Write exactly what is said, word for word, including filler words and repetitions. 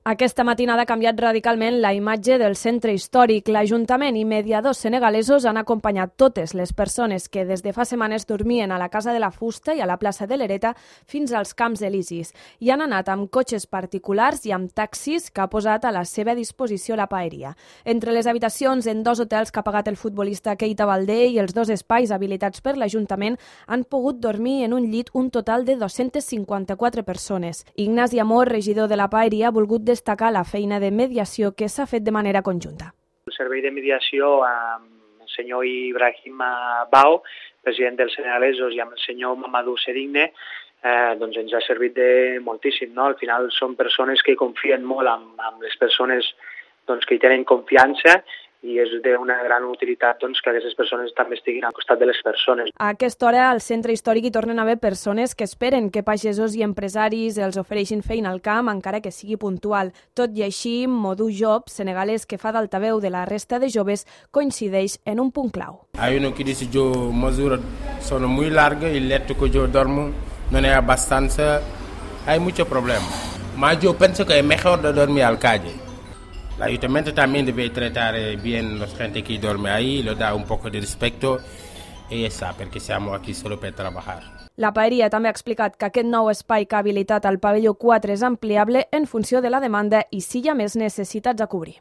Aquesta matinada ha canviat radicalment la imatge del centre històric. L'Ajuntament i mediadors senegalesos han acompanyat totes les persones que des de fa setmanes dormien a la Casa de la Fusta i a la plaça de l'Hereta fins als Camps Elisis. I han anat amb cotxes particulars i amb taxis que ha posat a la seva disposició la paeria. Entre les habitacions en dos hotels que ha pagat el futbolista Keita Baldé i els dos espais habilitats per l'Ajuntament han pogut dormir en un llit un total de dos-centes cinquanta-quatre persones. Ignasi Amor, regidor de la paeria, ha volgut destacar la feina de mediació que s'ha fet de manera conjunta. El servei de mediació amb el senyor Ibrahim Bao, president dels senegalesos, i amb el senyor Mamadou Sedigne, eh, doncs ens ha servit de moltíssim. No? Al final són persones que confien molt amb, amb les persones doncs, que hi tenen confiança, i és d'una gran utilitat doncs, que aquestes persones també estiguin al costat de les persones. A aquesta hora al centre històric hi tornen a haver persones que esperen que pagesos i empresaris els ofereixin feina al camp, encara que sigui puntual. Tot i així, Modou Job, senegalès que fa d'altaveu de la resta de joves, coincideix en un punt clau. Hay uno que dice yo mesura son muy largas y el lecho que yo duermo no es bastante, hay mucho problema. Mas yo pienso que es mejor de dormir al calle. El ayuntamiento también debe tratar bien a la gente que duerme ahí, le da un poco de respeto y eso, porque estamos aquí solo para trabajar. La paeria també ha explicat que aquest nou espai que ha habilitat al pavelló quatre és ampliable en funció de la demanda i si hi ha més necessitats a cobrir.